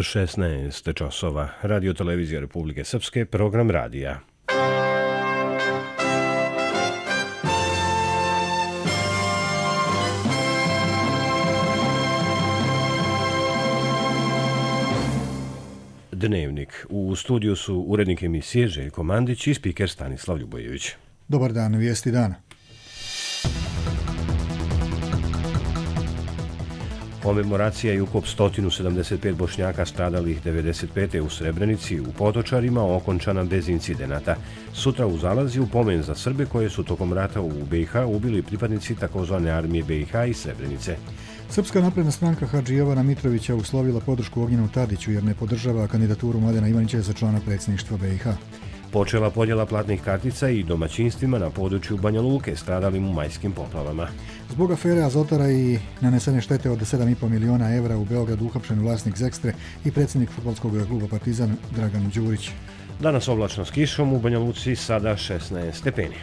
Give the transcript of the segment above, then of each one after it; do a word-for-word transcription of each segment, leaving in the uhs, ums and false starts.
šesnaest časova. Radio televizija Republike Srpske, program radija. Dnevnik. U studiju su urednik emisije Željko Mandić i spiker Stanislav Ljubojević. Dobar dan, vijesti dana. Komemoracija i ukop sto sedamdeset pet Bošnjaka stradalih devedeset pete u Srebrenici u Potočarima okončana bez incidenata. Sutra u Zalazji u pomen za Srbe koje su tokom rata u B i H ubili pripadnici takozvane armije B i H i Srebrenice. Srpska napredna stranka Hadži Jovana Mitrovića uslovila podršku Ognjenu Tadiću jer ne podržava kandidaturu Mladena Ivanića za člana predsjedništva B i H. Počela podjela platnih kartica i domaćinstvima na području Banja Luke stradalim u majskim poplavama. Zbog afere Azotara i nanesene štete od sedam i po miliona evra u Beogradu uhapšen vlasnik Zekstre i predsjednik fudbalskog kluba Partizan Dragan Đurić. Danas oblačno s kišom, u Banja Luci sada šesnaest stepeni.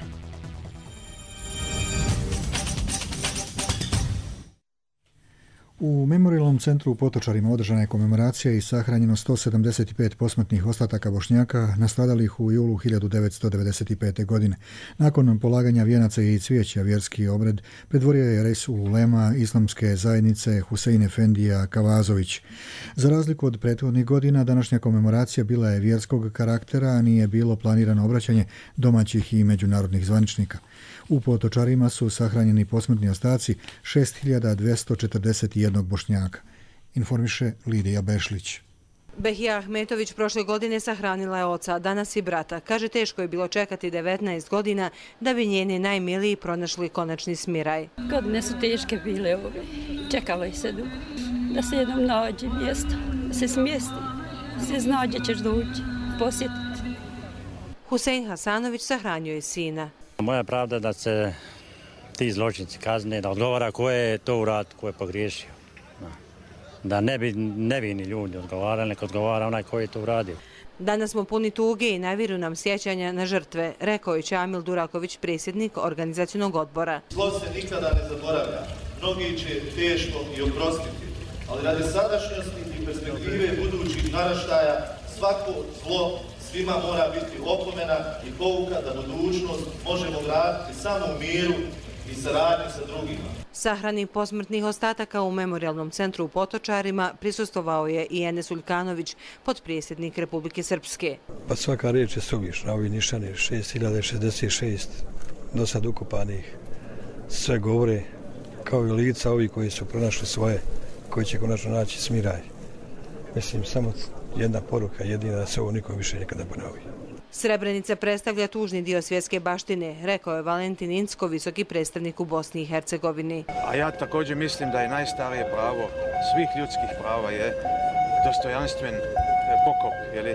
U Memorijalnom centru u Potočarima održana je komemoracija i sahranjeno sto sedamdeset pet posmrtnih ostataka Bošnjaka nastradalih u julu hiljadu devetsto devedeset pete. godine. Nakon polaganja vijenaca i cvijeća vjerski obred predvorio je res ulema islamske zajednice Husein Efendija Kavazović. Za razliku od prethodnih godina, današnja komemoracija bila je vjerskog karaktera, a nije bilo planirano obraćanje domaćih i međunarodnih zvaničnika. U Potočarima su sahranjeni posmrtni ostaci šest hiljada dvjesto četrdeset jedan Bošnjaka, informiše Lidija Bešlić. Behija Ahmetović prošle godine sahranila je oca, danas i brata. Kaže, teško je bilo čekati devetnaest godina da bi njeni najmiliji pronašli konačni smiraj. Godine su teške bile ove. Čekalo je se dugo. Da se jednom nađe mjesto, da se smjesti, da se zna gdje ćeš doći, posjetiti. Husein Hasanović sahranjuje je sina. Moja pravda da se ti zločinci kazne, da odgovara ko je to urad, ko je pogriješio. Da ne bi nevini ljudi odgovarali, nek odgovara onaj ko je to uradio. Danas smo puni tuge i naviru nam sjećanja na žrtve, rekao je Čamil Duraković, predsjednik organizacionog odbora. Zlo se nikada ne zaboravlja. Mnogi će teško i oprostiti, ali radi sadašnjosti i perspektive budućih naraštaja svako zlo svima mora biti opomena i pouka da budućnost možemo vratiti samo u miru i saradnji sa drugima. Sahrani posmrtnih ostataka u Memorijalnom centru u Potočarima prisustvovao je i Enes Uljkanović, potpredsjednik Republike Srpske. Pa svaka riječ je suvišna, ovi nišani šest hiljada šezdeset šest do sad ukupanih sve govore kao i lica ovi koji su pronašli svoje, koji će konačno naći smiraj. Mislim, samo jedna poruka, jedina, da se ovo nikom više nikada ponovi. Srebrenica predstavlja tužni dio svjetske baštine, rekao je Valentin Incko, visoki predstavnik u Bosni i Hercegovini. A ja također mislim da je najstarije pravo svih ljudskih prava je dostojanstven pokop, jeli?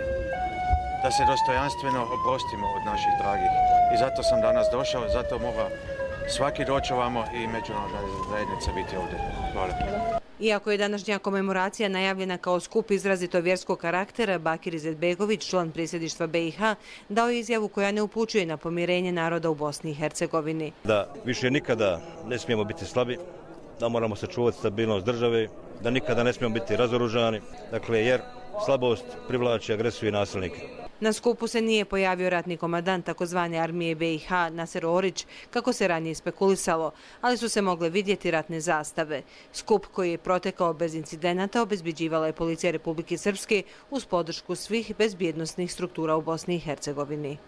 Da se dostojanstveno oprostimo od naših dragih. I zato sam danas došao, zato mora svaki doći ovamo i međunarodna zajednica biti ovdje. Hvala. Iako je današnja komemoracija najavljena kao skup izrazito vjerskog karaktera, Bakir Izetbegović, član predsjedništva B i H, dao je izjavu koja ne upućuje na pomirenje naroda u Bosni i Hercegovini. Da više nikada ne smijemo biti slabi, da moramo sačuvati stabilnost države, da nikada ne smijemo biti razoružani, dakle, jer slabost privlači agresiju i nasilnike. Na skupu se nije pojavio ratni komandant takozvane armije B i H Naser Orić, kako se ranije spekulisalo, ali su se mogle vidjeti ratne zastave. Skup koji je protekao bez incidenata obezbeđivala je policija Republike Srpske uz podršku svih bezbjednosnih struktura u Bosni i Hercegovini.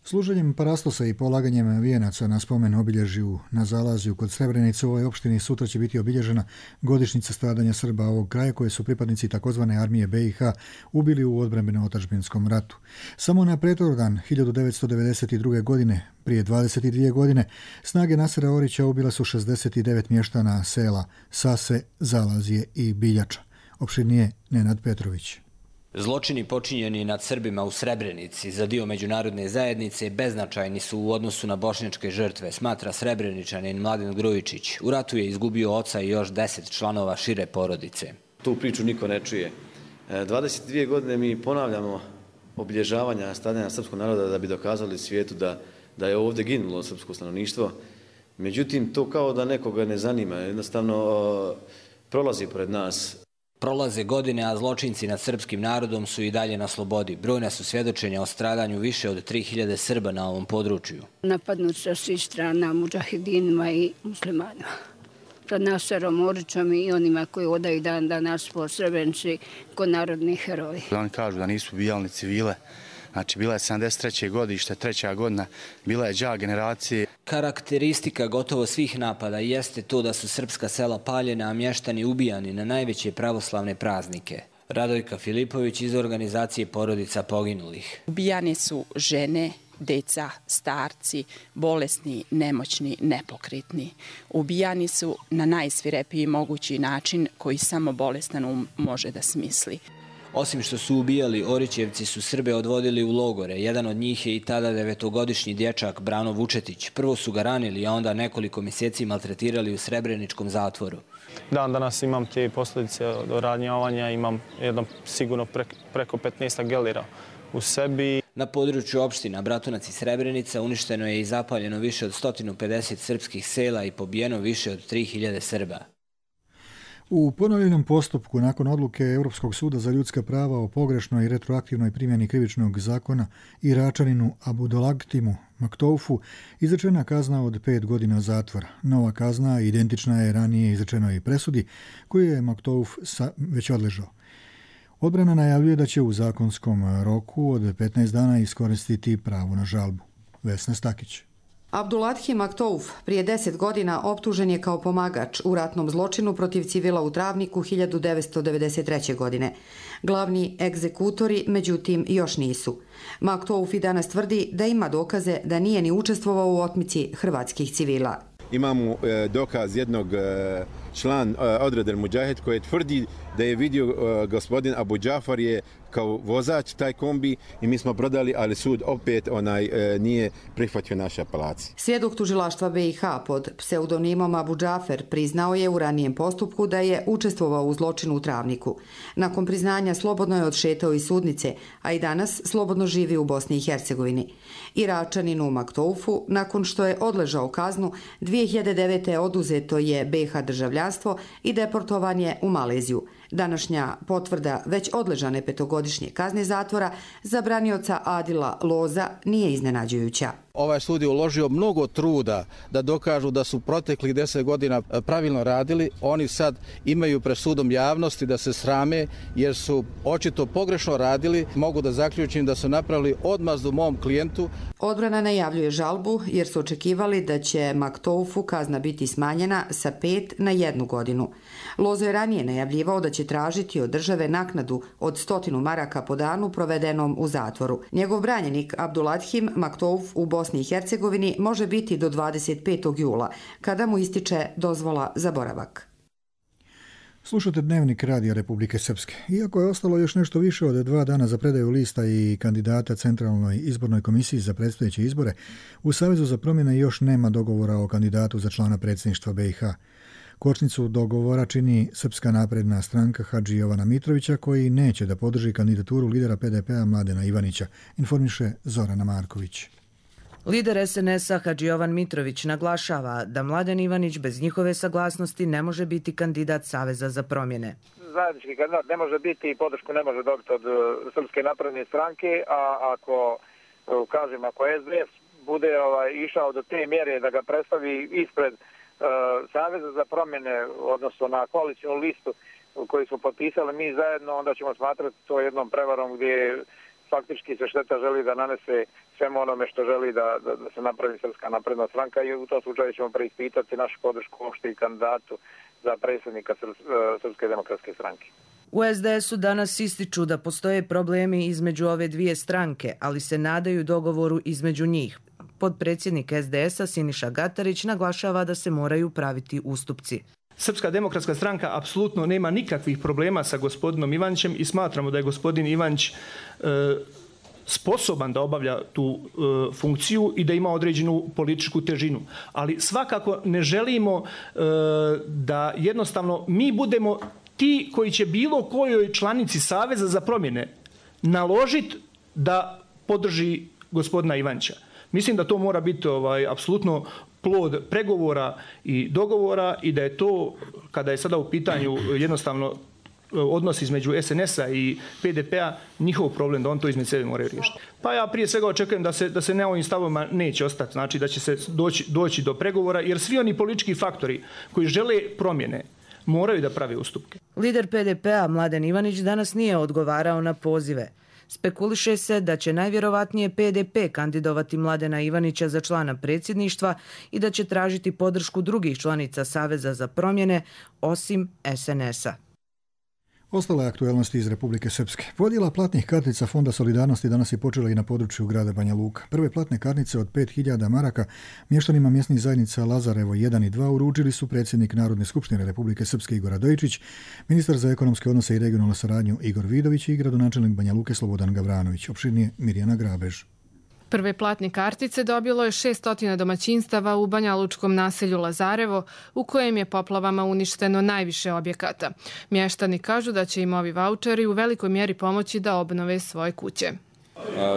Služenjem parastosa i polaganjem vijenaca na spomen obilježju na Zalazju kod Srebrenice u ovoj opštini sutra će biti obilježena godišnjica stradanja Srba ovog kraja koje su pripadnici takozvane armije B i H ubili u odbrambeno-otadžbinskom ratu. Samo na pretordan hiljadu devetsto devedeset druge. godine, prije dvadeset dvije godine, snage Nasera Orića ubile su šezdeset devet mještana sela Sase, Zalazje i Biljača. Opširnije Nenad Petrović. Zločini počinjeni nad Srbima u Srebrenici za dio međunarodne zajednice beznačajni su u odnosu na bošnjačke žrtve, smatra Srebreničanin Mladen Grujičić. U ratu je izgubio oca i još deset članova šire porodice. Tu priču niko ne čuje. dvadeset dvije godine mi ponavljamo obilježavanja stradanja srpskog naroda da bi dokazali svijetu da, da je ovdje ginulo srpsko stanovništvo. Međutim, to kao da nekoga ne zanima. Jednostavno prolazi pored nas. Prolaze godine, a zločinci nad srpskim narodom su i dalje na slobodi. Brojna su svjedočenja o stradanju više od tri hiljade Srba na ovom području. Napadnut sa svih strana mudžahedinima i muslimanima. Sa Naserom Orićom i onima koji odaju dan danas po Srebrenici ko narodni heroji. Oni kažu da nisu ubijali ni civile. Znači, bila je sedamdeset treće godište, treća godina, bila je đak generacije. Karakteristika gotovo svih napada jeste to da su srpska sela paljena, a mještani ubijani na najveće pravoslavne praznike. Radojka Filipović iz organizacije Porodica poginulih. Ubijane su žene, deca, starci, bolesni, nemoćni, nepokretni. Ubijani su na najsvirepiji mogući način koji samo bolestan um može da smisli. Osim što su ubijali, Orićevci su Srbe odvodili u logore. Jedan od njih je i tada devetogodišnji dječak Brano Vučetić. Prvo su ga ranili, a onda nekoliko mjeseci maltretirali u Srebreničkom zatvoru. Dan danas imam te posljedice od ranjavanja, imam jedno sigurno preko petnaest gelira u sebi. Na području opština Bratunac i Srebrenica uništeno je i zapaljeno više od sto pedeset srpskih sela i pobijeno više od tri hiljade Srba. U ponovljenom postupku nakon odluke Europskog suda za ljudska prava o pogrešnoj i retroaktivnoj primjeni krivičnog zakona Iračaninu Abdulagtimu Maktoufu izrečena kazna od pet godina zatvora. Nova kazna identična je ranije izrečenoj presudi koju je Maktouf već odležao. Odbrana najavljuje da će u zakonskom roku od petnaest dana iskoristiti pravo na žalbu. Vesna Stakić. Abduladhi Maktouf prije deset godina optužen je kao pomagač u ratnom zločinu protiv civila u Travniku hiljadu devetsto devedeset treće. godine. Glavni egzekutori, međutim, još nisu. Maktouf i danas tvrdi da ima dokaze da nije ni učestvovao u otmici hrvatskih civila. Imamo e, dokaz jednog e, član e, odreda Mudžahed koji tvrdi da je vidio e, gospodin Abu Džafar je kao vozač taj kombi i mi smo prodali, ali sud opet onaj e, nije prihvatio naše apelacije. Svjedok tužilaštva B i H pod pseudonimom Abu Džafer priznao je u ranijem postupku da je učestvovao u zločinu u Travniku. Nakon priznanja slobodno je odšetao iz sudnice, a i danas slobodno živi u Bosni i Hercegovini. Iračaninu Maktoufu, nakon što je odležao kaznu, dvije hiljade devete. oduzeto je B H državljanstvo i deportovan je u Maleziju. Današnja potvrda već odležane petogodišnje kazne zatvora za branioca Adila Loza nije iznenađujuća. Ovaj sud je uložio mnogo truda da dokažu da su proteklih deset godina pravilno radili. Oni sad imaju pred sudom javnosti da se srame jer su očito pogrešno radili. Mogu da zaključim da su napravili odmazdu mom klijentu. Odbrana najavljuje žalbu jer su očekivali da će Maktoufu kazna biti smanjena sa pet na jednu godinu. Lozo je ranije najavljivao da će tražiti od države naknadu od stotinu maraka po danu provedenom u zatvoru. Njegov branjenik Abduladhim Maktouf u Bosni i Hercegovini može biti do dvadeset petog jula, kada mu ističe dozvola za boravak. Slušate Dnevnik Radija Republike Srpske. Iako je ostalo još nešto više od dva dana za predaju lista i kandidata Centralnoj izbornoj komisiji za predstojeće izbore, u Savezu za promjene još nema dogovora o kandidatu za člana predsjedništva B i H. Kočnicu dogovora čini Srpska napredna stranka Hadži Jovana Mitrovića, koji neće da podrži kandidaturu lidera P D P-a Mladena Ivanića, informiše Zorana Marković. Lider S N S-a Hadži Jovan Mitrović naglašava da Mladen Ivanić bez njihove saglasnosti ne može biti kandidat Saveza za promjene. Zajednički kandidat ne može biti i podršku ne može dobiti od Srpske napredne stranke, a ako, kažem, ako S D S bude ovaj, išao do te mjere da ga predstavi ispred uh, Saveza za promjene, odnosno na koalicijnu listu koju smo potpisali mi zajedno, onda ćemo smatrati to jednom prevarom gdje faktički se šteta želi da nanese svemu onome što želi da, da, da se napravi Srpska napredna stranka i u tom slučaju ćemo preispitati našu podršku uopšte i kandidatu za predsjednika Srpske demokratske stranke. U S D S-u danas ističu da postoje problemi između ove dvije stranke, ali se nadaju dogovoru između njih. Podpredsjednik S D S-a Siniša Gatarić naglašava da se moraju praviti ustupci. Srpska demokratska stranka apsolutno nema nikakvih problema sa gospodinom Ivanićem i smatramo da je gospodin Ivanić e, sposoban da obavlja tu e, funkciju i da ima određenu političku težinu. Ali svakako ne želimo e, da jednostavno mi budemo ti koji će bilo kojoj članici Saveza za promjene naložiti da podrži gospodina Ivanića. Mislim da to mora biti ovaj, apsolutno plod pregovora i dogovora i da je to, kada je sada u pitanju jednostavno odnos između S N S-a i P D P-a njihov problem, da on to između sebe moraju riješiti. Pa ja prije svega očekujem da se, da se na ovim stavovima neće ostati, znači da će se doći, doći do pregovora, jer svi oni politički faktori koji žele promjene moraju da prave ustupke. Lider P D P-a Mladen Ivanić danas nije odgovarao na pozive. Spekuliše se da će najvjerovatnije P D P kandidovati Mladena Ivanića za člana predsjedništva i da će tražiti podršku drugih članica Saveza za promjene, osim S N S-a. Ostale aktuelnosti iz Republike Srpske. Podjela platnih kartica Fonda solidarnosti danas je počela i na području grada Banja Luka. Prve platne kartice od pet hiljada maraka mještanima mjesnih zajednica Lazarevo jedan i dva uručili su predsjednik Narodne skupštine Republike Srpske Igor Radojičić, ministar za ekonomske odnose i regionalnu saradnju Igor Vidović i gradonačelnik Banja Luke Slobodan Gavranović. Opširnije Mirjana Grabež. Prve platne kartice dobilo je šesnaest domaćinstava u banjalučkom naselju Lazarevo, u kojem je poplavama uništeno najviše objekata. Mještani kažu da će im ovi vaučeri u velikoj mjeri pomoći da obnove svoje kuće.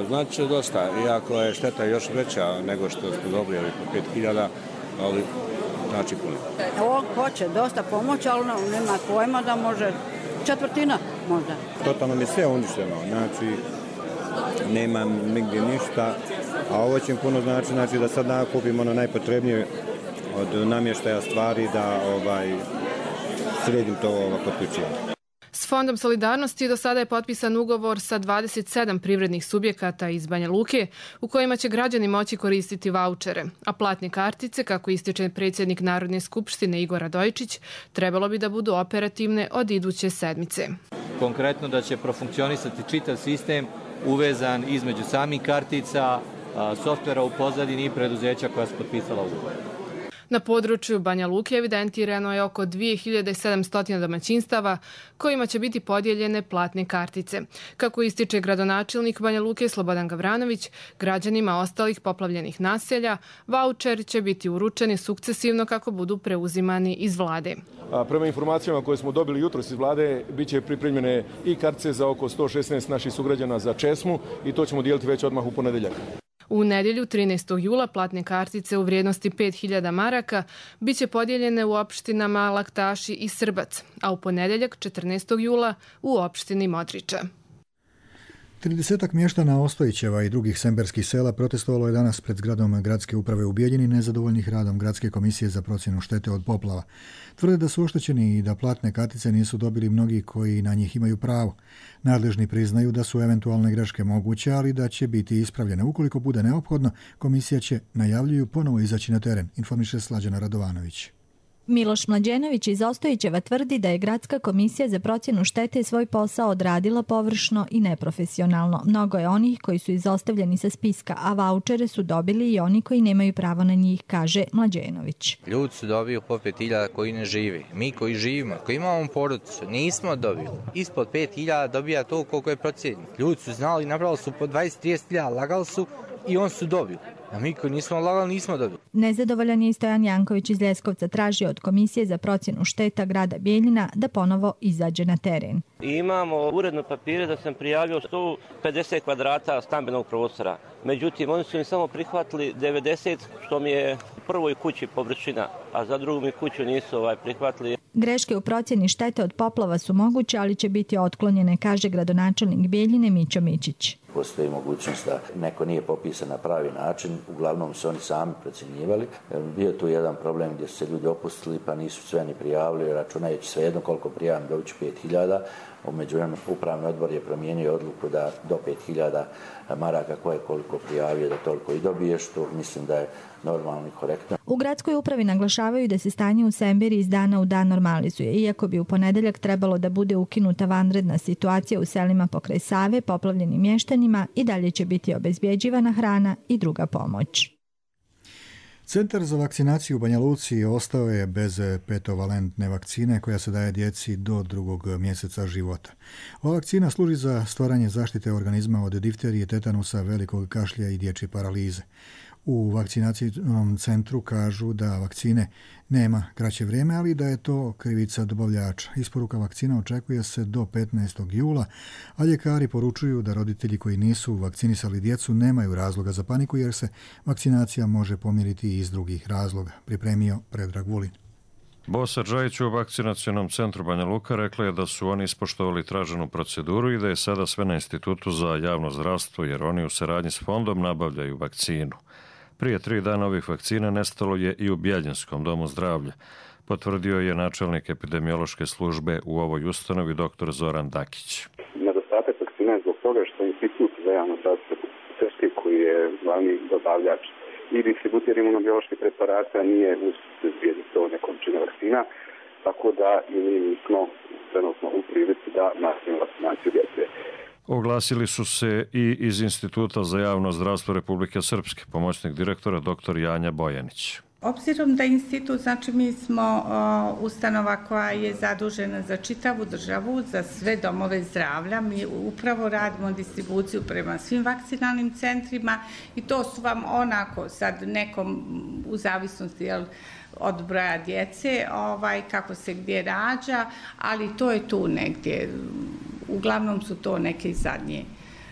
Znači dosta, iako je šteta još veća nego što smo dobili ovih pet hiljada, ali znači puno. Ovo hoće dosta pomoći, ali nema pojma da može četvrtina možda. Totalno mi je sve uništeno, znači nemam nigdje ništa, a ovo će puno znači, znači da sad nakupimo ono najpotrebnije od namještaja stvari da ovaj, sredim to ovo potključivanje. S Fondom solidarnosti do sada je potpisan ugovor sa dvadeset sedam privrednih subjekata iz Banja Luke u kojima će građani moći koristiti vaučere, a platne kartice, kako ističe predsjednik Narodne skupštine Igor Radojičić, trebalo bi da budu operativne od iduće sedmice. Konkretno da će profunkcionisati čitav sistem uvezan između samih kartica, softvera u pozadini i preduzeća koja su potpisala ugovor. Na području Banja Luke evidentirano je oko dvije hiljade sedamsto domaćinstava kojima će biti podijeljene platne kartice. Kako ističe gradonačelnik Banja Luke Slobodan Gavranović, građanima ostalih poplavljenih naselja vaučeri će biti uručeni sukcesivno kako budu preuzimani iz vlade. Prema informacijama koje smo dobili jutros iz vlade, bit će pripremljene i kartice za oko sto šesnaest naših sugrađana za česmu i to ćemo dijeliti već odmah u ponedjeljak. U nedjelju trinaestog jula platne kartice u vrijednosti pet hiljada maraka bit će podijeljene u opštinama Laktaši i Srbac, a u ponedjeljak četrnaestog jula u opštini Modriča. Tridesetak mještana Ostojićeva i drugih semberskih sela protestovalo je danas pred zgradom gradske uprave u Bijeljini nezadovoljnih radom Gradske komisije za procjenu štete od poplava. Tvrde da su oštećeni i da platne kartice nisu dobili mnogi koji na njih imaju pravo. Nadležni priznaju da su eventualne greške moguće, ali da će biti ispravljene. Ukoliko bude neophodno, komisija će, najavljuju, ponovo izaći na teren, informiše Slađana Radovanović. Miloš Mlađenović iz Ostojićeva tvrdi da je Gradska komisija za procjenu štete svoj posao odradila površno i neprofesionalno. Mnogo je onih koji su izostavljeni sa spiska, a vaučere su dobili i oni koji nemaju pravo na njih, kaže Mlađenović. Ljudi su dobili po pet hiljada koji ne živi. Mi koji živimo, koji imamo porodicu, nismo dobili. Ispod pet hiljada dobija to koliko je procjenjeno. Ljudi su znali, napravili su po dvadeset do trideset hiljada, lagali su i on su dobili. A mi koji nismo lagali, nismo dobili. Nezadovoljan je i Stojan Janković iz Leskovca, tražio od Komisije za procjenu šteta grada Bijeljina da ponovo izađe na teren. Imamo uredno papire da sam prijavio sto pedeset kvadrata stambenog prostora. Međutim, oni su im samo prihvatili devedeset, što mi je u prvoj kući površina, a za drugu mi kuću nisu ovaj prihvatili. Greške u procjeni štete od poplava su moguće, ali će biti otklonjene, kaže gradonačelnik Bijeljine Mićo Mičić. Postoji mogućnost da neko nije popisan na pravi način, uglavnom su oni sami procjenjivali. Bio tu jedan problem gdje su se ljudi opustili pa nisu sve ni prijavili, računajući svejedno koliko prijavim dobit ću pet hiljada. U međuvremenu upravni odbor je promijenio odluku da do pet hiljada maraka koje koliko prijavio da toliko i dobije, što mislim da je normalno i korektno. U gradskoj upravi naglašavaju da se stanje u Semberi iz dana u dan normalizuje, iako bi u ponedeljak trebalo da bude ukinuta vanredna situacija u selima pokraj Save, poplavljenim mještanima i dalje će biti obezbjeđivana hrana i druga pomoć. Centar za vakcinaciju u Banja Luci ostao je bez petovalentne vakcine koja se daje djeci do drugog mjeseca života. Ova vakcina služi za stvaranje zaštite organizma od difterije, tetanusa, velikog kašlja i dječje paralize. U vakcinacijnom centru kažu da vakcine nema kraće vrijeme, ali da je to krivica dobavljača. Isporuka vakcina očekuje se do petnaestog jula, a ljekari poručuju da roditelji koji nisu vakcinisali djecu nemaju razloga za paniku jer se vakcinacija može pomiriti i iz drugih razloga, pripremio Predrag Vulin. Bosa Džajić u vakcinacionom centru Banja Luka rekla je da su oni ispoštovali traženu proceduru i da je sada sve na Institutu za javno zdravstvo, jer oni u saradnji s fondom nabavljaju vakcinu. Prije tri dana ovih vakcina nestalo je i u Bjeljinskom domu zdravlja, potvrdio je načelnik epidemiološke službe u ovoj ustanovi dr. Zoran Dakić. Nedostatak vakcina je zbog toga što Institut za javno zdravstvo Srpske, koji je glavni dobavljač i distributer imunobioloških preparata, nije uspio izbjediti dovoljne količine vakcina, tako da i mi nismo trenutno u prilici da nastavimo vakcinaciju djece. Oglasili su se i iz Instituta za javno zdravstvo Republike Srpske, pomoćnik direktora dr. Janja Bojanić. Obzirom da institut, znači mi smo o, ustanova koja je zadužena za čitavu državu, za sve domove zdravlja, mi upravo radimo distribuciju prema svim vakcinalnim centrima i to su vam onako sad nekom u zavisnosti jel, od broja djece, ovaj, kako se gdje rađa, ali to je tu negdje. Uglavnom su to neke zadnje,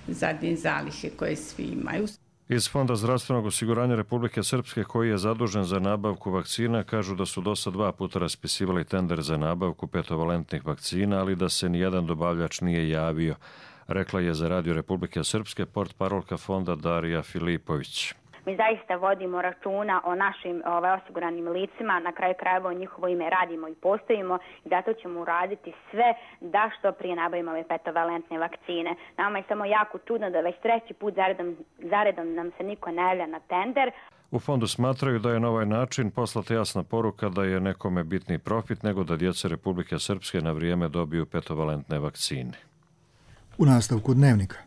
zadnje zalihe koje svi imaju. Iz Fonda zdravstvenog osiguranja Republike Srpske, koji je zadužen za nabavku vakcina, kažu da su do sad dva puta raspisivali tender za nabavku petovalentnih vakcina, ali da se nijedan dobavljač nije javio, rekla je za Radio Republike Srpske portparolka fonda Darija Filipović. Mi zaista vodimo računa o našim ovaj, osiguranim licima, na kraju krajeva o njihovo ime radimo i postojimo i zato ćemo uraditi sve da što prije nabavimo ove petovalentne vakcine. Nama je samo jako čudno da već treći put zaredom, zaredom nam se niko ne javlja na tender. U fondu smatraju da je na ovaj način poslata jasna poruka da je nekome bitni profit nego da djeca Republike Srpske na vrijeme dobiju petovalentne vakcine. U nastavku Dnevnika.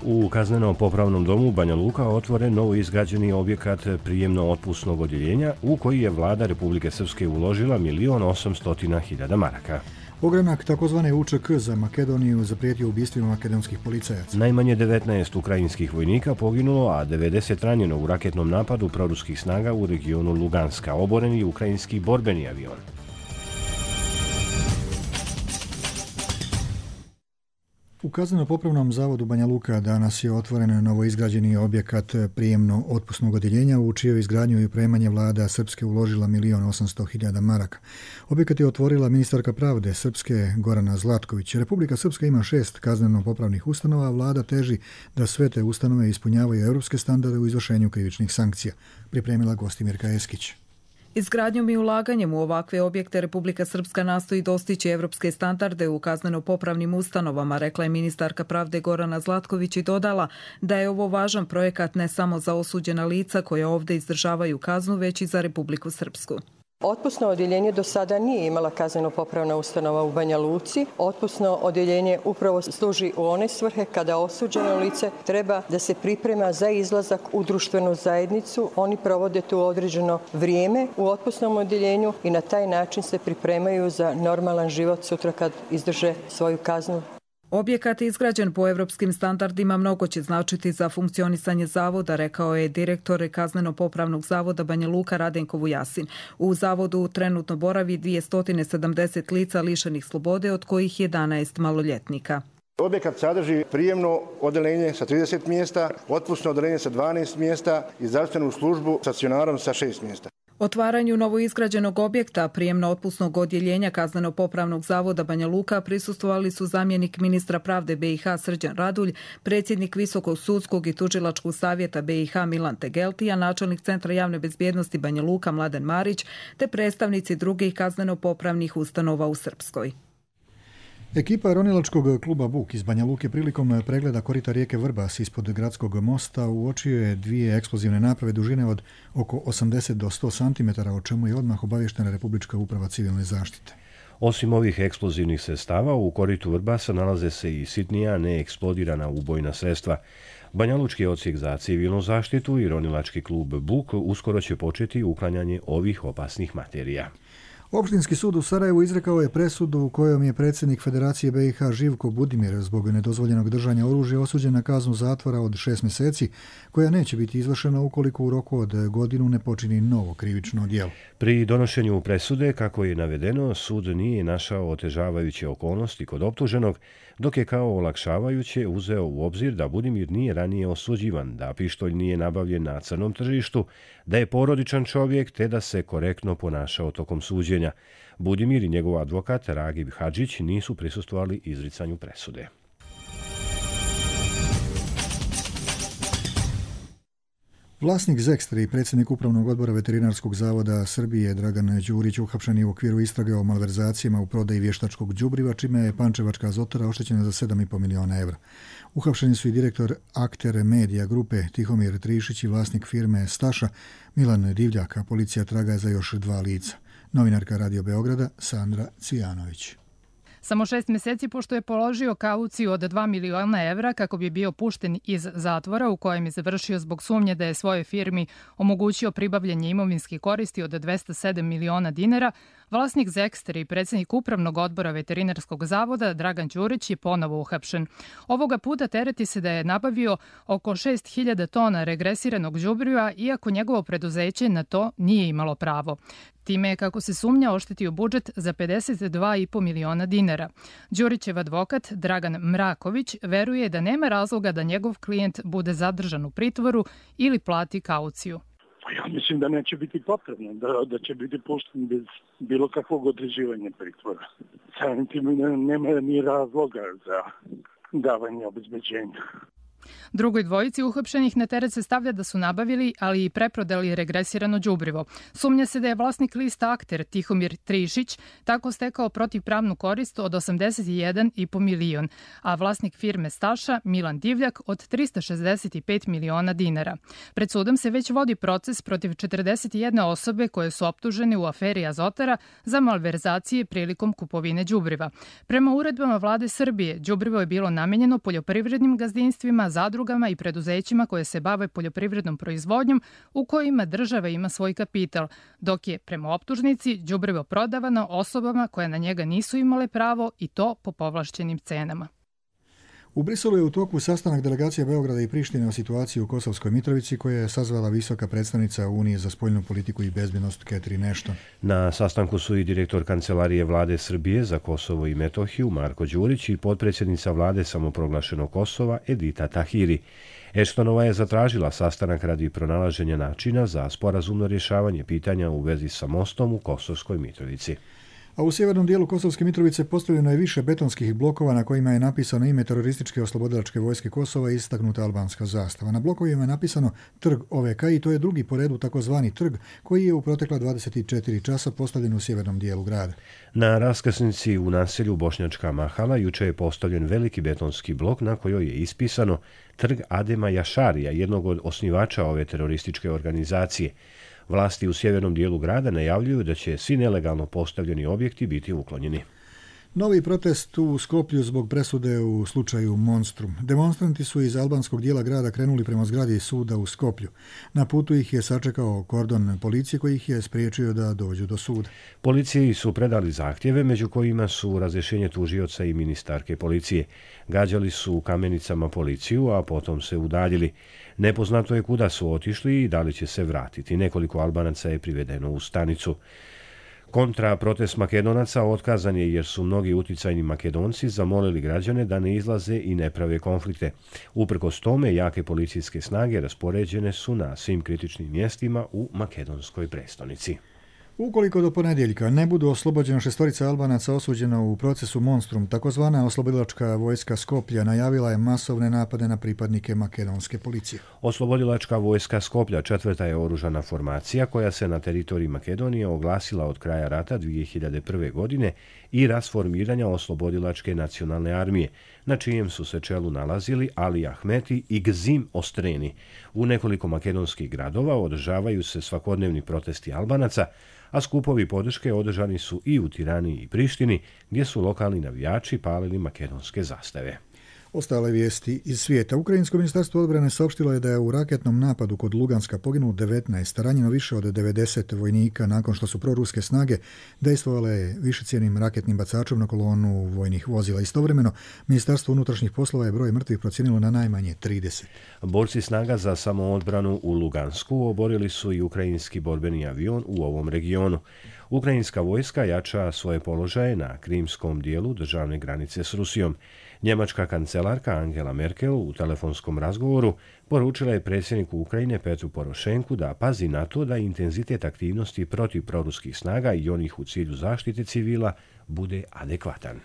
U kazneno-popravnom domu Banja Luka otvoren novo izgrađeni objekat prijemno-otpusnog odjeljenja u koji je vlada Republike Srpske uložila milion osamstotina hiljada maraka. Ogranak takozvane U Č K za Makedoniju zaprijetio ubistvima makedonskih policajaca. Najmanje devetnaest ukrajinskih vojnika poginulo, a devedeset ranjeno u raketnom napadu proruskih snaga u regionu Luganska. Oboren je ukrajinski borbeni avion. U kazneno-popravnom zavodu Banja Luka danas je otvoren novoizgrađeni objekat prijemno-otpusnog odjeljenja u čijoj izgradnju i opremanje vlada Srpske uložila milion osamsto hiljada maraka. Objekat je otvorila ministarka pravde Srpske Gorana Zlatković. Republika Srpska ima šest kazneno-popravnih ustanova, a vlada teži da sve te ustanove ispunjavaju europske standarde u izvršenju krivičnih sankcija, pripremila Gostimirka Eskić. Izgradnjom i ulaganjem u ovakve objekte Republika Srpska nastoji dostići evropske standarde u kazneno-popravnim ustanovama, rekla je ministarka pravde Gorana Zlatković i dodala da je ovo važan projekat ne samo za osuđena lica koja ovdje izdržavaju kaznu, već i za Republiku Srpsku. Otpusno odjeljenje do sada nije imala kazneno-popravna ustanova u Banja Luci. Otpusno odjeljenje upravo služi u one svrhe kada osuđeno lice treba da se priprema za izlazak u društvenu zajednicu. Oni provode tu određeno vrijeme u otpusnom odjeljenju i na taj način se pripremaju za normalan život sutra kad izdrže svoju kaznu. Objekat je izgrađen po evropskim standardima, mnogo će značiti za funkcionisanje zavoda, rekao je direktor kazneno-popravnog zavoda Banja Luka Radenko Vujasin. U zavodu trenutno boravi dvjesto sedamdeset lica lišenih slobode, od kojih jedanaest maloljetnika. Objekat sadrži prijemno odeljenje sa trideset mjesta, otpusno odeljenje sa dvanaest mjesta i zdravstvenu službu stacionarom sa šest mjesta. Otvaranju novoizgrađenog objekta prijemno-otpusnog odjeljenja kazneno-popravnog zavoda Banja Luka prisustvovali su zamjenik ministra pravde B i H Srđan Radulj, predsjednik Visokog sudskog i tužilačkog savjeta B i H Milan Tegeltija, načelnik Centra javne bezbjednosti Banja Luka Mladen Marić, te predstavnici drugih kazneno-popravnih ustanova u Srpskoj. Ekipa ronilačkog kluba Buk iz Banja Luke prilikom pregleda korita rijeke Vrbas ispod gradskog mosta uočio je dvije eksplozivne naprave dužine od oko osamdeset do sto centimetara, o čemu je odmah obavještena Republička uprava civilne zaštite. Osim ovih eksplozivnih sredstava, u koritu Vrbasa nalaze se i sitnija neeksplodirana ubojna sredstva. Banjalučki odsjek za civilnu zaštitu i ronilački klub Buk uskoro će početi uklanjanje ovih opasnih materija. Opštinski sud u Sarajevu izrekao je presudu u kojom je predsjednik Federacije B i H Živko Budimir zbog nedozvoljenog držanja oružja osuđen na kaznu zatvora od šest mjeseci, koja neće biti izvršena ukoliko u roku od godinu ne počini novo krivično djelo. Pri donošenju presude, kako je navedeno, sud nije našao otežavajuće okolnosti kod optuženog, dok je kao olakšavajuće uzeo u obzir da Budimir nije ranije osuđivan, da pištolj nije nabavljen na crnom tržištu, da je porodičan čovjek te da se korektno ponašao tokom suđenja. Budimir i njegov advokat Ragib Hadžić nisu prisustvovali izricanju presude. Vlasnik Zekstra i predsjednik Upravnog odbora Veterinarskog zavoda Srbije Dragan Đurić uhapšen je u okviru istrage o malverzacijama u prodaji vještačkog đubriva, čime je Pančevačka Azotara oštećena za sedam i po miliona evra. Uhapšeni su i direktor Akter Media grupe Tihomir Trišić i vlasnik firme Staša Milan Divljak, a policija traga za još dva lica. Novinarka Radio Beograda Sandra Cijanović. Samo šest mjeseci pošto je položio kauciju od dva miliona evra kako bi bio pušten iz zatvora u kojem je završio zbog sumnje da je svojoj firmi omogućio pribavljanje imovinskih koristi od dvesta sedam miliona dinara, vlasnik Zekstra i predsjednik Upravnog odbora Veterinarskog zavoda Dragan Đurić je ponovo uhapšen. Ovoga puta tereti se da je nabavio oko šest hiljada tona regresiranog đubriva, iako njegovo preduzeće na to nije imalo pravo. Time je, kako se sumnja, oštetio budžet za pedeset dva i po miliona dinara. Đurićev advokat Dragan Mraković veruje da nema razloga da njegov klijent bude zadržan u pritvoru ili plati kauciju. Ja mislim da neće biti potrebno, da, da će biti pušten bez bilo kakvog određivanja pritvora. Samim tim nema ni razloga za davanje obezbeđenja. Drugoj dvojici uhapšenih na teret se stavlja da su nabavili, ali i preprodali regresirano đubrivo. Sumnja se da je vlasnik lista Akter Tihomir Trišić tako stekao protivpravnu korist od osamdeset jedan i po milion, a vlasnik firme Staša Milan Divljak od trista šezdeset pet miliona dinara. Pred sudom se već vodi proces protiv četrdeset jedne osobe koje su optužene u aferi Azotara za malverzacije prilikom kupovine đubriva. Prema uredbama vlade Srbije, đubrivo je bilo namenjeno poljoprivrednim gazdinstvima, zadrugama i preduzećima koje se bave poljoprivrednom proizvodnjom u kojima država ima svoj kapital, dok je prema optužnici đubrivo prodavano osobama koje na njega nisu imale pravo i to po povlašćenim cenama. U Briselu je u toku sastanak delegacije Beograda i Prištine o situaciji u Kosovskoj Mitrovici koje je sazvala visoka predstavnica Unije za spoljnu politiku i bezbjednost Catherine Ashton. Na sastanku su i direktor Kancelarije vlade Srbije za Kosovo i Metohiju Marko Đurić i potpredsjednica vlade samoproglašenog Kosova Edita Tahiri. Ashtonova je zatražila sastanak radi pronalaženja načina za sporazumno rješavanje pitanja u vezi sa mostom u Kosovskoj Mitrovici. A u sjevernom dijelu Kosovske Mitrovice postavljeno je više betonskih blokova na kojima je napisano ime terorističke oslobodilačke vojske Kosova i istaknuta albanska zastava. Na blokovima je napisano Trg O V K i to je drugi po redu takozvani trg koji je u protekla dvadeset četiri časa postavljen u sjevernom dijelu grada. Na raskrsnici u naselju Bošnjačka Mahala juče je postavljen veliki betonski blok na kojoj je ispisano Trg Adema Jašarija, jednog od osnivača ove terorističke organizacije. Vlasti u sjevernom dijelu grada najavljuju da će svi nelegalno postavljeni objekti biti uklonjeni. Novi protest u Skoplju zbog presude u slučaju Monstrum. Demonstranti su iz albanskog dijela grada krenuli prema zgradi suda u Skoplju. Na putu ih je sačekao kordon policije koji ih je spriječio da dođu do suda. Policiji su predali zahtjeve, među kojima su razrješenje tužioca i ministarke policije. Gađali su kamenicama policiju, a potom se udaljili. Nepoznato je kuda su otišli i da li će se vratiti. Nekoliko Albanaca je privedeno u stanicu. Kontra protest Makedonaca otkazan je jer su mnogi uticajni Makedonci zamolili građane da ne izlaze i ne prave konflikte. Uprkos tome, jake policijske snage raspoređene su na svim kritičnim mjestima u makedonskoj prestonici. Ukoliko do ponedjeljka ne budu oslobođena šestorica Albanaca osuđena u procesu Monstrum, takozvana oslobodilačka vojska Skoplja najavila je masovne napade na pripadnike makedonske policije. Oslobodilačka vojska Skoplja četvrta je oružana formacija koja se na teritoriji Makedonije oglasila od kraja rata dvije hiljade prve. godine i rasformiranja oslobodilačke nacionalne armije, na čijem su se čelu nalazili Ali Ahmeti i Gzim Ostreni. U nekoliko makedonskih gradova održavaju se svakodnevni protesti Albanaca, a skupovi podrške održani su i u Tirani i Prištini, gdje su lokalni navijači palili makedonske zastave. Ostale vijesti iz svijeta. Ukrajinsko ministarstvo odbrane saopštilo je da je u raketnom napadu kod Luganska poginulo devetnaest, ranjeno više od devedeset vojnika nakon što su proruske snage dejstvovale višecjenim raketnim bacačom na kolonu vojnih vozila. Istovremeno, Ministarstvo unutrašnjih poslova je broj mrtvih procijenilo na najmanje trideset. Borci snaga za samoodbranu u Lugansku oborili su i ukrajinski borbeni avion u ovom regionu. Ukrajinska vojska jača svoje položaje na krimskom dijelu državne granice s Rusijom. Njemačka kancelarka Angela Merkel u telefonskom razgovoru poručila je predsjedniku Ukrajine Petru Porošenku da pazi na to da intenzitet aktivnosti protiv proruskih snaga i onih u cilju zaštite civila bude adekvatan.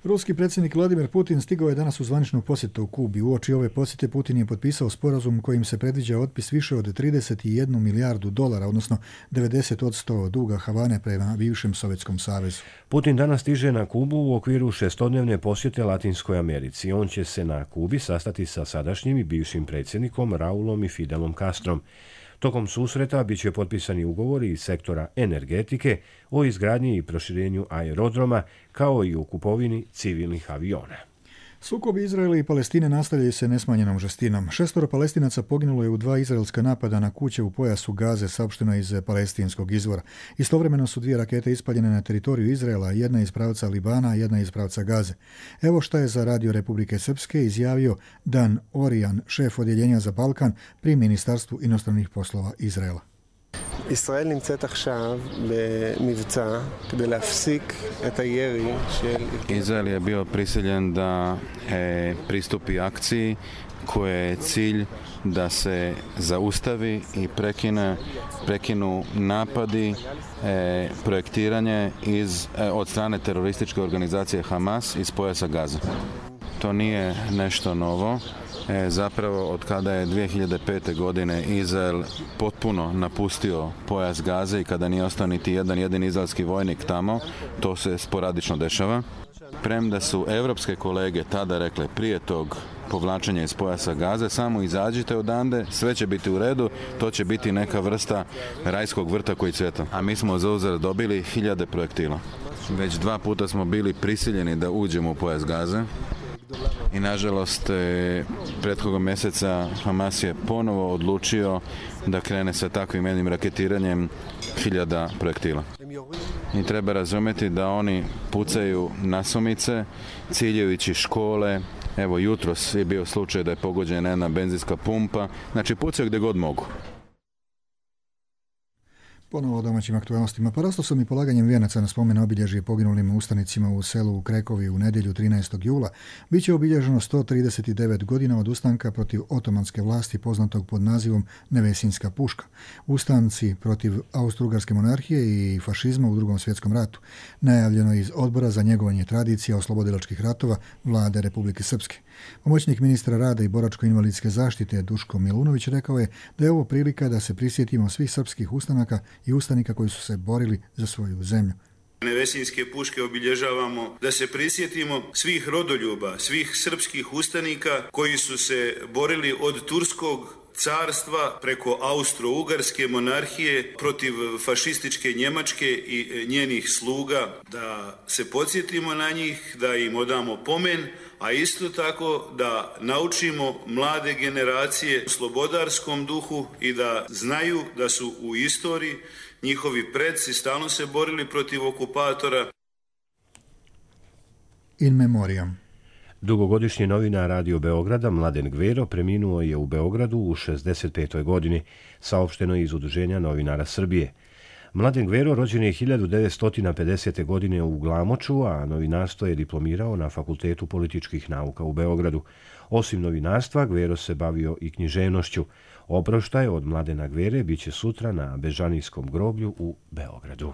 Ruski predsjednik Vladimir Putin stigao je danas u zvaničnu posjetu u Kubi. Uoči ove posjete Putin je potpisao sporazum kojim se predviđa otpis više od trideset jednu milijardu dolara, odnosno devedeset posto duga Havane prema bivšem Sovjetskom savezu. Putin danas stiže na Kubu u okviru šestodnevne posjete Latinskoj Americi. On će se na Kubi sastati sa sadašnjim i bivšim predsjednikom Raulom i Fidelom Castrom. Tokom susreta bit će potpisani ugovori iz sektora energetike o izgradnji i proširenju aerodroma, kao i o kupovini civilnih aviona. Sukobi Izraela i Palestine nastavljaju se nesmanjenom žestinom. Šestoro Palestinaca poginulo je u dva izraelska napada na kuće u pojasu Gaze, saopšteno iz palestinskog izvora. Istovremeno su dvije rakete ispaljene na teritoriju Izraela, jedna iz pravca Libana, jedna iz pravca Gaze. Evo šta je za Radio Republike Srpske izjavio Dan Orijan, šef odjeljenja za Balkan pri Ministarstvu inostranih poslova Izraela. ישראל נמצאת עכשיו במבצע כדי להפסיק את הירי של... Izrael je bio prisiljen da e, pristupi akciji koje je cilj da se zaustavi i prekine, prekinu napadi, e, projektiranje iz, e, od strane terorističke organizacije Hamas iz pojasa Gaze. To nije nešto novo. E, zapravo od kada je dvije hiljade pete. godine Izrael potpuno napustio pojas Gaze i kada nije ostao niti jedan jedini izraelski vojnik tamo, to se sporadično dešava. Premda su evropske kolege tada rekle prije tog povlačenja iz pojasa Gaze, samo izađite odande, sve će biti u redu, to će biti neka vrsta rajskog vrta koji cvjeta. A mi smo za uzvrat dobili hiljade projektila. Već dva puta smo bili prisiljeni da uđemo u pojas Gaze. I nažalost, prethodnog mjeseca Hamas je ponovo odlučio da krene sa takvim jednim raketiranjem hiljada projektila. I treba razumjeti da oni pucaju nasumice, ciljajući škole. Evo, jutros je bio slučaj da je pogođena jedna benzinska pumpa. Znači, pucaju gdje god mogu. Ponovo o domaćim aktualnostima. Porastao sam i polaganjem vijenaca na spomen obilježje poginulim ustanicima u selu u Krekovi u nedjelju trinaestog jula. Biće obilježeno sto trideset devet godina od ustanka protiv otomanske vlasti poznatog pod nazivom Nevesinska puška. Ustanci protiv austro-ugarske monarhije i fašizma u Drugom svjetskom ratu. Najavljeno iz Odbora za njegovanje tradicija oslobodilačkih ratova Vlade Republike Srpske. Pomoćnik ministra rada i boračko-invalidske zaštite Duško Milunović rekao je da je ovo prilika da se prisjetimo svih srpskih ustanaka i ustanika koji su se borili za svoju zemlju. Nevesinske puške obilježavamo da se prisjetimo svih rodoljuba, svih srpskih ustanika koji su se borili od turskog carstva preko austro-ugarske monarhije protiv fašističke Njemačke i njenih sluga, da se podsjetimo na njih, da im odamo pomen, a isto tako da naučimo mlade generacije slobodarskom duhu i da znaju da su u istoriji njihovi predci stalno se borili protiv okupatora. In memoriam. Dugogodišnji novinar Radio Beograda Mladen Gvero preminuo je u Beogradu u šezdeset petoj godini, saopšteno iz Udruženja novinara Srbije. Mladen Gvero rođen je hiljadu devetsto pedesete. godine u Glamoču, a novinarstvo je diplomirao na Fakultetu političkih nauka u Beogradu. Osim novinarstva, Gvero se bavio i književnošću. Obroštaj od Mladena Gvere biće sutra na Bežanijskom groblju u Beogradu.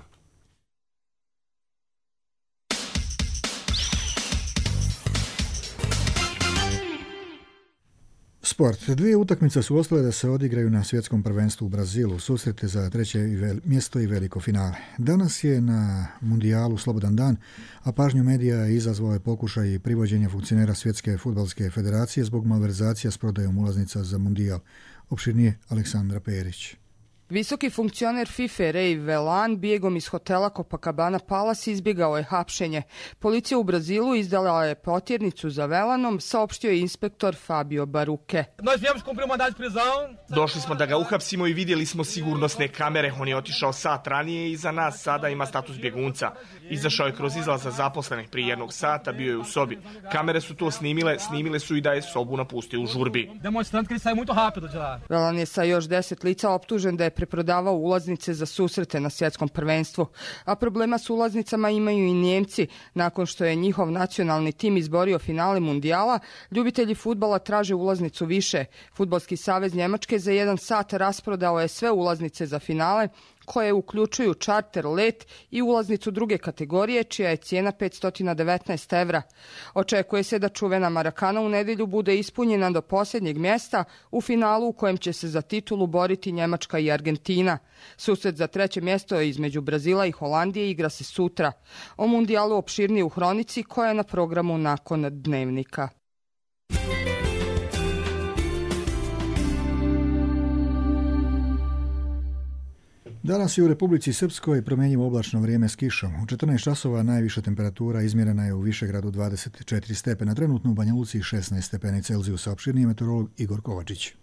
Sport. Dvije utakmice su ostale da se odigraju na svjetskom prvenstvu u Brazilu, susrete za treće mjesto i veliko finale. Danas je na mundijalu slobodan dan, a pažnju medija izazvao je pokušaj privođenja funkcionera Svjetske fudbalske federacije zbog malverzacija s prodajom ulaznica za mundijal. Opširnije Aleksandra Perić. Visoki funkcioner FIFA Ray Velan bijegom iz hotela Copacabana Palace izbjegao je hapšenje. Policija u Brazilu izdala je potjernicu za Velanom, saopštio je inspektor Fabio Baruke. Došli smo da ga uhapsimo i vidjeli smo sigurnosne kamere. On je otišao sat ranije i za nas sada ima status bjegunca. Izašao je kroz izlaza zaposlenih prije jednog sata, bio je u sobi. Kamere su to snimile, snimile su i da je sobu napustio u žurbi. Velan je sa još deset lica optužen da je preprodavao ulaznice za susrete na svjetskom prvenstvu. A problema s ulaznicama imaju i Njemci. Nakon što je njihov nacionalni tim izborio finale mundijala, ljubitelji fudbala traže ulaznicu više. Fudbalski savez Njemačke za jedan sat rasprodao je sve ulaznice za finale, koje uključuju čarter, let i ulaznicu druge kategorije, čija je cijena petsto devetnaest evra. Očekuje se da čuvena Marakana u nedjelju bude ispunjena do posljednjeg mjesta u finalu u kojem će se za titulu boriti Njemačka i Argentina. Susret za treće mjesto između Brazila i Holandije igra se sutra. O mundijalu opširnije u hronici koja je na programu nakon Dnevnika. Danas je u Republici Srpskoj promjenjivo oblačno vrijeme s kišom. U četrnaest časova najviša temperatura izmjerena je u Višegradu dvadeset četiri stepena, trenutno u Banja Luci šesnaest stepeni Celzijusa, opširniji meteorolog Igor Kovačić.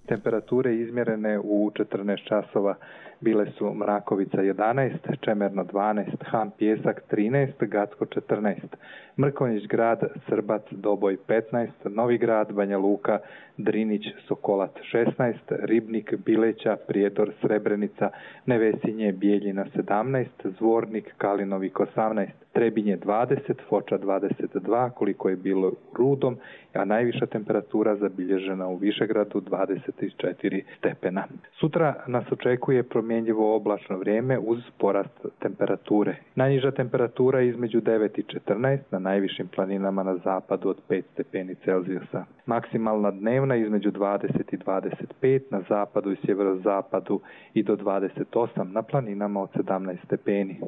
Temperature izmjerene u četrnaest časova bile su Mrakovica jedanaest, Čemerno dvanaest, Han Pjesak trinaest, Gacko četrnaest, Mrkonjić grad, Srbac, Doboj petnaest, Novi grad, Banja Luka, Drinić, Sokolac šesnaest, Ribnik, Bileća, Prijedor, Srebrenica, Nevesinje, Bijeljina sedamnaest, Zvornik, Kalinovik osamnaest, Trebinje dvadeset, Foča dvadeset dva, koliko je bilo u Rudom, a najviša temperatura zabilježena u Višegradu dvadeset četiri stepena. Sutra nas očekuje promjenjivo oblačno vrijeme uz porast temperature. Najniža temperatura između devet i četrnaest, na najvišim planinama na zapadu od pet stepeni Celzijusa. Maksimalna dnevna između dvadeset i dvadeset pet, na zapadu i sjeverozapadu i do dvadeset osam, na planinama od sedamnaest stepeni.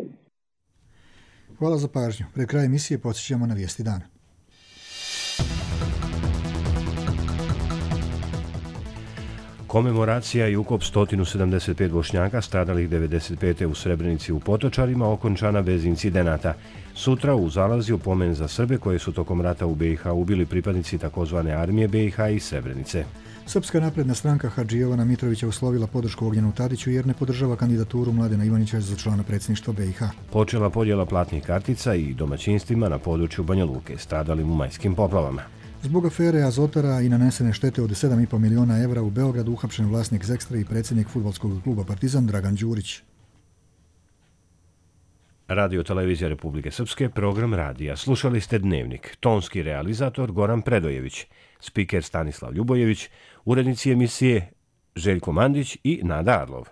Hvala za pažnju. Pred kraj emisije podsjećamo na vijesti dana. Komemoracija i ukop sto sedamdeset pet Bošnjaka stradalih devedeset pete u Srebrenici u Potočarima okončana bez incidenata. Sutra u Zalazju pomen za Srbe koje su tokom rata u be i ha ubili pripadnici takozvane armije be i ha i Srebrenice. Srpska napredna stranka Hadži Jovana Mitrovića uslovila podršku Ognjenu Tadiću jer ne podržava kandidaturu Mladena Ivanića za člana predsjedništva be i ha. Počela podjela platnih kartica i domaćinstvima na području Banja Luke, stradalim u majskim poplavama. Zbog afere Azotara i nanesene štete od sedam i pol miliona evra u Beogradu uhapšen vlasnik Zekstra i predsjednik fudbalskog kluba Partizan Dragan Đurić. Radio Televizija Republike Srpske, program radija. Slušali ste Dnevnik. Tonski realizator Goran Predojević, spiker Stanislav Ljubojević, urednici emisije Željko Mandić i Nada Arlov.